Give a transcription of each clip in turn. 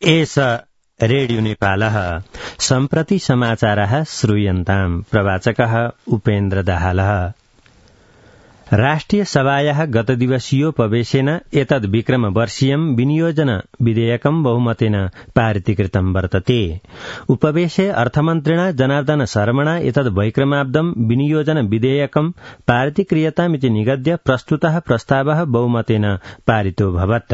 एष रेडियो नेपालः सम्प्रति समाचारः श्रूयन्ताम्। प्रवाचकः उपेन्द्र दाहालः। राष्ट्रिय सभायाः गतदिवसीयोपवेशेन एतद् विक्रमवर्षीयं विनियोजन विधेयकं बहुमतेन पारितीकृतं वर्तते। उपवेशे अर्थमन्त्रिणा जनार्दन शर्मणा एतद् वैक्रमाब्दं विनियोजन विधेयकं पारितीक्रियतामिति निगद्य प्रस्तुतः प्रस्तावः बहुमतेन पारितोऽभवत्।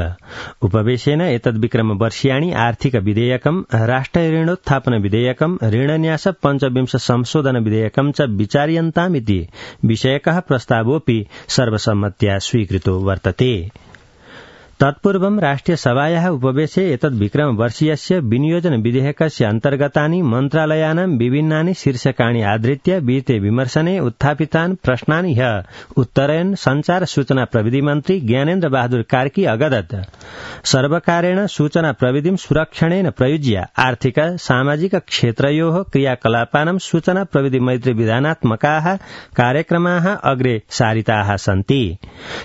उपवेशेन एतद् विक्रमवर्षीयाणि आर्थिक विधेयकं, राष्ट्रऋणोत्थापन विधेयकं, ऋणन्यास पञ्चविंश संशोधन विधेयकं च विचार्यन्तामिति विषयकः प्रस्तावोऽपि सर्वसम्मत्या स्वीकृतो वर्तते। तत्पूर्वं राष्ट्रिय सभायाः उपवेशे एतद् विक्रमवर्षीयस्य विनियोजन विधेयकस्य अन्तर्गतानि मन्त्रालयानां विभिन्नानि शीर्षकाणि आधृत्य विहिते विमर्शने उत्थापितान् प्रश्नानि ह्यः उत्तरयन् संचार सूचना प्रविधि मन्त्री ज्ञानेन्द्र बहादुर कार्की अगदत्। सर्वकारेण सूचना प्रविधिं सुरक्षणेन प्रयुज्य आर्थिक सामाजिक क्षेत्रयोः क्रियाकलापानां सूचना प्रविधि मैत्री विधानात्मकाः कार्यक्रमाः अग्रे सारिताः सन्ति।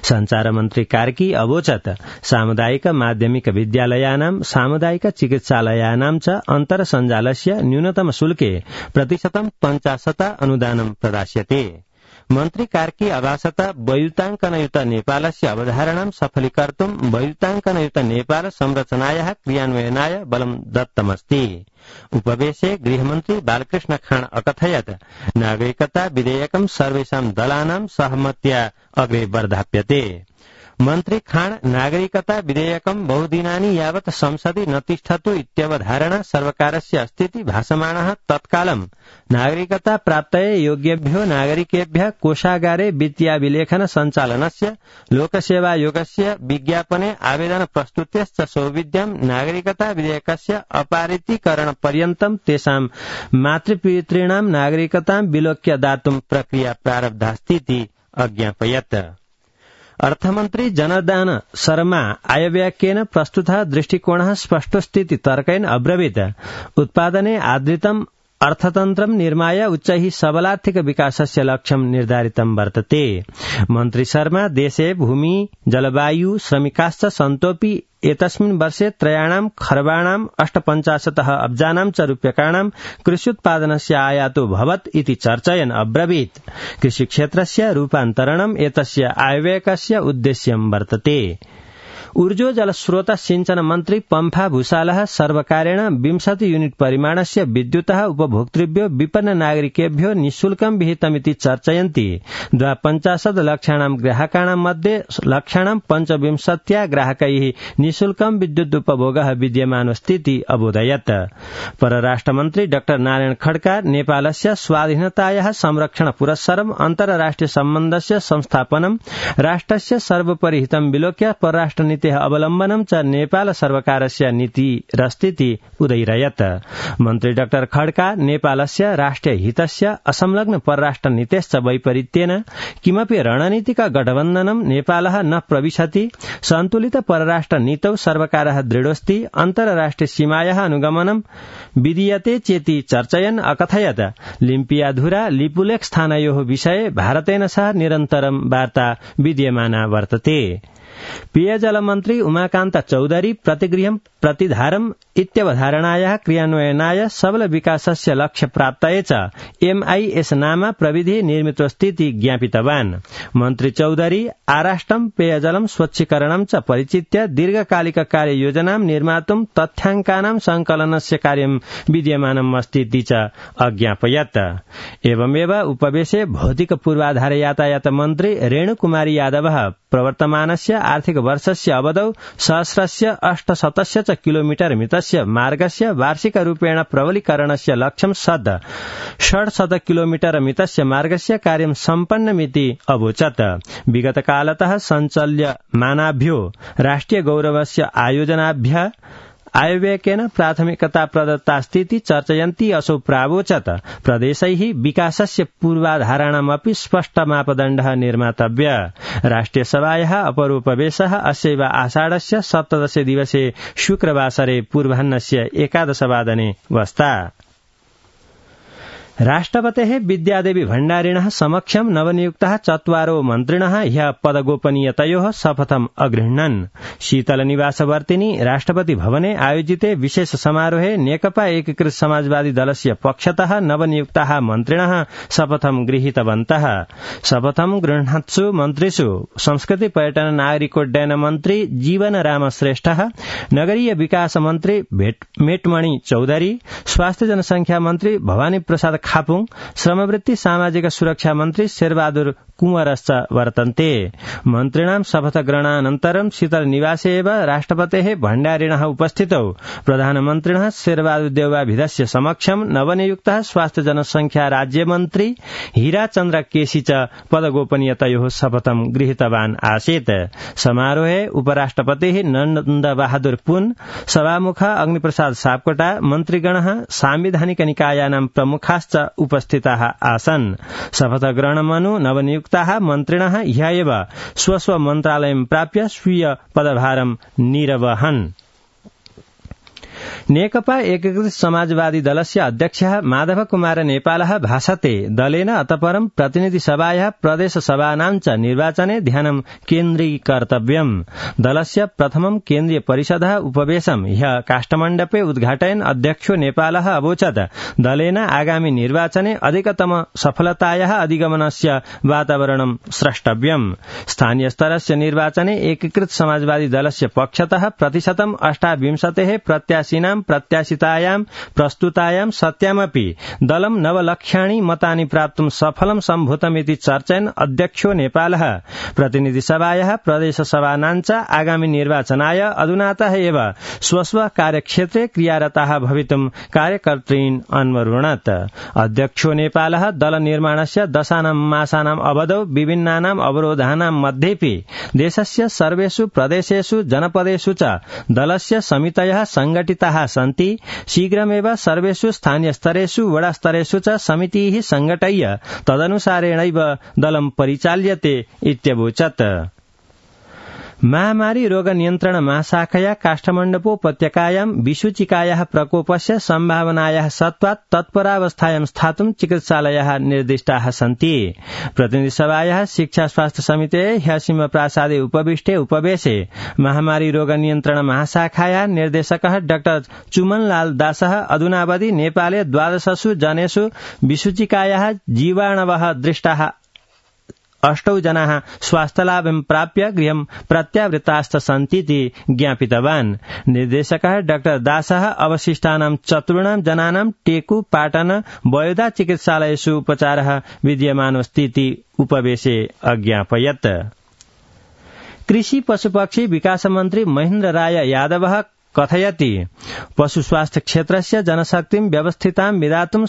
संचार मन्त्री कार्की अवोचत् सामुदायिक माध्यमिक विद्यालयानां, सामुदायिक चिकित्सालयानां च अन्तर्सञ्जालस्य न्यूनतम शुल्के 50% अनुदानं प्रदास्यते। मन्त्री कार्की अभासत वैयुताङ्कनयुत नेपालस्य अवधारणां सफलीकर्तुं वैयुताङ्कनयुत नेपाल संरचनायाः क्रियान्वयनाय बलं दत्तमस्ति। उपवेशे गृहमन्त्री बालकृष्ण खाँड अकथयत् नागरिकता विधेयकं सर्वेषां दलानां सहमत्या अग्रे वर्धाप्यते। मन्त्री खाँड नागरिकता विधेयकं बहुदिनानि यावत् संसदि न तिष्ठतु इत्यवधारणा सर्वकारस्य अस्तीति भासमाणः तत्कालं नागरिकता प्राप्तये योग्येभ्यो नागरिकेभ्यः कोषागारे वित्तीयाभिलेखन सञ्चालनस्य लोकसेवायोगस्य विज्ञापने आवेदन प्रस्तुत्यश्च सौविध्यं नागरिकता विधेयकस्य अपारितीकरणपर्यन्तं तेषां मातृपितॄणां नागरिकतां विलोक्य दातुं प्रक्रिया प्रारब्धास्तीति अज्ञापयत्। अर्थमन्त्री जनार्दन शर्मा आयव्ययकेन प्रस्तुतः दृष्टिकोणः स्पष्टोऽस्तीति तर्केण अब्रवीत्। उत्पादने आधारितम् अर्थतन्त्रं निर्माय उच्चैः सबलार्थिक विकासस्य लक्ष्यं निर्धारितं वर्तते। मन्त्री शर्मा देशे भूमि, जलवायु, श्रमिकाश्च सन्तोऽपि एतस्मिन् वर्षे 3 खर्बाणां 58 अब्जानां च रूप्यकाणां कृष्युत्पादनस्य आयातो भवत् इति चर्चयन् अब्रवीत्। कृषिक्षेत्रस्य रूपान्तरणम् एतस्य आयव्ययकस्य उद्देश्यं वर्तते। ऊर्जो जलस्रोत सिंचन मन्त्री पम्फा भूषालः सर्वकारेण 20 यूनिट परिमाणस्य विद्युतः उपभोक्तृभ्यो विपन्न नागरिकेभ्यो निःशुल्कं विहितमिति चर्चयन्ति 52 लक्षाणां ग्राहकाणां मध्ये लक्षाणां 25 ग्राहकैः निःशुल्कं विद्युत् उपभोगः विद्यमानोऽस्तीति अबोधयत्। परराष्ट्रमन्त्री डाक्टर नारायण खड्का नेपालस्य स्वाधीनतायाः संरक्षण पुरस्सरम् अन्तर्राष्ट्रिय सम्बन्धस्य संस्थापनं राष्ट्रस्य सर्वोपरि हितं विलोक्य परराष्ट्रनीति अवलम्बनं च नेपाल सर्वकारस्य नीतिरस्तीति उदयिरयत्। मन्त्री डाक्टर खड्का नेपालस्य राष्ट्रिय हितस्य असंलग्न परराष्ट्र नीतेश्च वैपरीत्येन किमपि रणनीतिक गठबन्धनं नेपालः न प्रविशति, सन्तुलित परराष्ट्र नीतौ सर्वकारः दृढोऽस्ति, अन्तर्राष्ट्रिय सीमायाः अनुगमनं विधीयते चेति चर्चयन् अकथयत् लिम्पियाधुरा लिपुलेख स्थानयोः विषये भारतेन सह निरन्तरं वार्ता विद्यमाना वर्तते। पेयजल मन्त्री उमाकान्त चौधरी प्रतिगृहं प्रतिधारम् इत्यवधारणायाः क्रियान्वयनाय सबल विकासस्य लक्ष्य प्राप्तये च MIS नाम प्रविधि निर्मितोऽस्तीति ज्ञापितवान्। मन्त्री चौधरी आराष्ट्रं पेयजलं स्वच्छीकरणं च परिचित्य दीर्घकालिक कार्ययोजनां निर्मातुं तथ्याङ्कानां संकलनस्य कार्यं विद्यमानम् अस्तीति च अज्ञापयत्। एवमेव उपवेशे भौतिक पूर्वाधार यातायात मन्त्री रेणुकुमारी यादवः प्रवर्तमानस्य आर्थिक वर्षस्य अवधौ 800 च किलोमीटर मितस्य मार्गस्य वार्षिक रूपेण प्रबलीकरणस्य लक्ष्यं 600 किलोमीटर मितस्य मार्गस्य कार्यं सम्पन्नमिति अवोचत्। विगत कालतः सञ्चाल्यमानाभ्यो राष्ट्रिय गौरवस्य आयोजनाभ्यः आयव्ययकेन प्राथमिकता प्रदत्तास्तीति चर्चयन्ती असौ प्रावोचत् प्रदेशैः विकासस्य पूर्वाधाराणामपि स्पष्ट मापदण्डः निर्मातव्यः। राष्ट्रियसभायाः अपरोपवेशः अस्यैव आषाढस्य 17 दिवसे शुक्रवासरे पूर्वाह्नस्य 11 वादने वस्ता। राष्ट्रपतेः विद्यादेवी भण्डारिणः समक्षं नवनियुक्ताः 4 मन्त्रिणः ह्यः पदगोपनीयतयोः शपथम् अगृह्णन्। शीतलनिवासवर्तिनि राष्ट्रपति भवने आयोजिते विशेष समारोहे नेकपा एकीकृत समाजवादी दलस्य पक्षतः नवनियुक्ताः मन्त्रिणः शपथं गृहीतवन्तः। शपथं गृह्णत्सु मन्त्रिषु संस्कृति पर्यटन नागरिकोड्डयन मन्त्री जीवनराम श्रेष्ठः, नगरीय विकास मन्त्री मेटमणि चौधरी, स्वास्थ्य जनसंख्या मन्त्री भवानी प्रसाद खापुङ, श्रमवृत्ति सामाजिक सुरक्षा मन्त्री शेरबहादुर कुंवरश्च वर्तन्ते। मन्त्रिणां शपथग्रहणानन्तरं शीतल निवासे एव राष्ट्रपतेः भण्डारिणः उपस्थितौ प्रधानमन्त्रिणः शेरबहादुर देउवाभिधस्य समक्षं नवनियुक्तः स्वास्थ्य जनसंख्या राज्यमन्त्री हीराचन्द्र केसी च पदगोपनीयतयोः शपथं गृहीतवान् आसीत्। समारोहे उपराष्ट्रपतिः नन्दबहादुर पुन, सभामुख अग्निप्रसाद सापकोटा, मन्त्रीगणः, सांविधानिक निकायानां प्रमुखाश्च उपस्थिताः आसन्। शपथग्रहणमनु नवनियुक्ताः मन्त्रिणः ह्यः एव स्वस्व मन्त्रालयं प्राप्य स्वीय पदभारं निर्वहन्। नेकपा एकीकृत समाजवादी दलस्य अध्यक्षः माधव कुमार नेपालः भाषते दलेन अतपरं प्रतिनिधिसभायाः प्रदेशसभानां च निर्वाचने ध्यानं केन्द्रीकर्तव्यम्। दलस्य प्रथमं केन्द्रीय परिषदः उपवेशं ह्यः काष्ठमण्डपे उद्घाटयन् अध्यक्षो नेपालः अवोचत् दलेन आगामि निर्वाचने अधिकतम सफलतायाः अधिगमनस्य वातावरणं स्रष्टव्यम्। स्थानीय स्तरस्य निर्वाचने एकीकृत समाजवादी दलस्य पक्षतः प्रतिशतं 28 प्रत्याशिनां प्रत्याशितायां प्रस्तुतायां सत्यामपि दलं 9 लक्षाणि मतानि प्राप्तुं सफलं सम्भूतमिति चर्चयन् अध्यक्षो नेपालः प्रतिनिधिसभायाः प्रदेशसभानां च आगामि निर्वाचनाय अधुनातः एव स्वस्व कार्यक्षेत्रे क्रियारताः भवितुं कार्यकर्तॄन् अन्वरुणत्। अध्यक्षो नेपालः दल निर्माणस्य 10 मासानाम् अवधौ विभिन्नानाम् अवरोधानां मध्येपि देशस्य सर्वेषु प्रदेशेषु जनपदेषु च दलस्य समितयः संगठिताः सन्ति। शीघ्रमेव सर्वेषु स्थानीय स्तरेषु वडा स्तरेषु च समितिः संघटय्य तदनुसारेणैव दलं परिचाल्यते इत्यवोचत्। महामारी रोग नियन्त्रण महाशाखया काष्ठमण्डपोपत्यकायां विषुचिकायाः प्रकोपस्य सम्भावनायाः सत्त्वात् तत्परावस्थायां स्थातुं चिकित्सालयाः निर्दिष्टाः सन्ति। प्रतिनिधिसभायाः शिक्षा स्वास्थ्य समितेः ह्यः सिंहप्रासादे उपविष्टे उपवेशे महामारी रोग नियन्त्रण महाशाखायाः निर्देशकः डाक्टर चुमनलाल दासः अधुनावधि नेपाले 12 जनेषु विषुचिकायाः जीवाणवः दृष्टाः 8 जनाः स्वास्थ्यलाभं प्राप्य गृहं प्रत्यावृत्ताश्च सन्तीति ज्ञापितवान्। निर्देशकः डाक्टर दासः अवशिष्टानां 4 जनानां टेकु पाटन बयोदा चिकित्सालयेषु उपचारः विद्यमानोऽस्तीति उपवेशे अज्ञापयत्। कृषि पशुपक्षी विकास मन्त्री महेन्द्र राय यादवः कथयति पशु स्वास्थ्य क्षेत्रस्य जनशक्तिं व्यवस्थितां विधातुं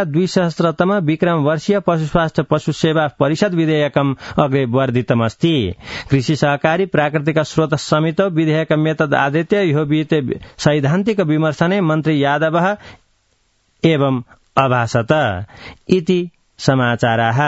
270 विक्रम वर्षीय पशु स्वास्थ्य पशु सेवा परिषद विधेयकम् अग्रे वर्धितमस्ति। कृषि सहकारी प्राकृतिक स्रोत समितौ विधेयकम् एतद् आधृत्य ह्यो विहिते सैद्धान्तिक विमर्शने मन्त्री यादवः एवम् अभाषत इति समाचाराः।